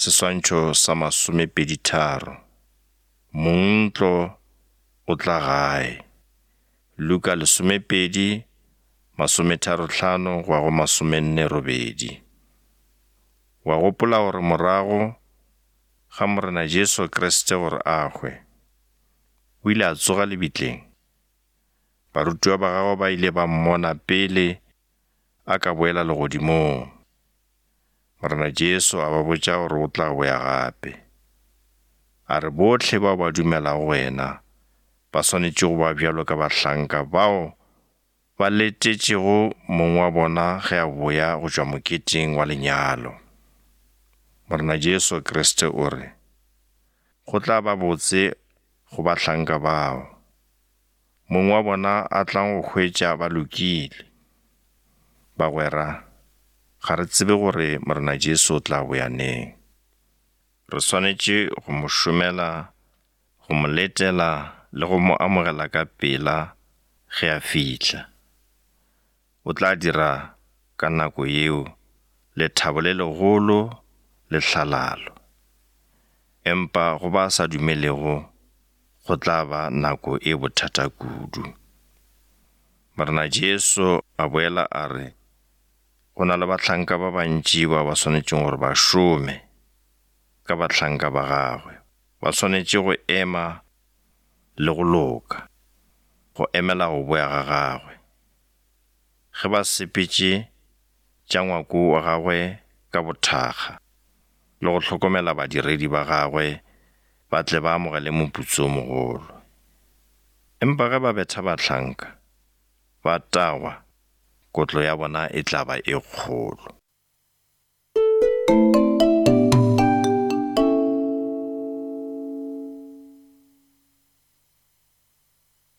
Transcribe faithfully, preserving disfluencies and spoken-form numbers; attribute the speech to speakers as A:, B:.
A: Seswantšho sa masomepeditharo. Mongntlo o tla gae. Luka lesomepedi, masometharohlano go ya go masomenne robedi. Wa gopola gore morago ga Morena Jesu Kriste gore a hwe, o ile a tsoga lebitleng. Barutiwa ba gagwe ba ile ba mmona pele a ka boela legodimong. Morena Jesu a ba botša gore o tla boya gape. A re bohle bao ba dumelago go yena ba swanetše go ba bjalo ka bahlanka bao ba letetšego mong wa bona ge a boya go tšwa moketeng wa lenyalo. Morena Jesu Kriste o re, go tla ba botse go bahlanka bao mong wa bona a tlang go hwetša ba lokile. Bagwera, ga re tsebe gore Morena Jesu o tla boya neng. Re swanetše go mo šomela, go mo letela le go mo amogela ka pela ge a fihla. O tla dira ka nako yeo lethabo le legolo le hlalalo. Empa go ba sa dumelego go tla ba nako e bothata kudu. Morena Jesu a boela a re go na le bahlanka ba bantši bao ba swanetšego gore ba šome ka bahlanka ba gagwe. Ba swanetše go ema le go loka, go emela go boya ga gagwe. Ge ba sepetše tša ngwako wa gagwe ka bothakga le go hlokomela badiredi ba gagwe ba tle ba amogele moputso o mogolo. Empa ge ba betha bahlanka, ba tagwa, kotlo ya bona e tla ba e kgolo.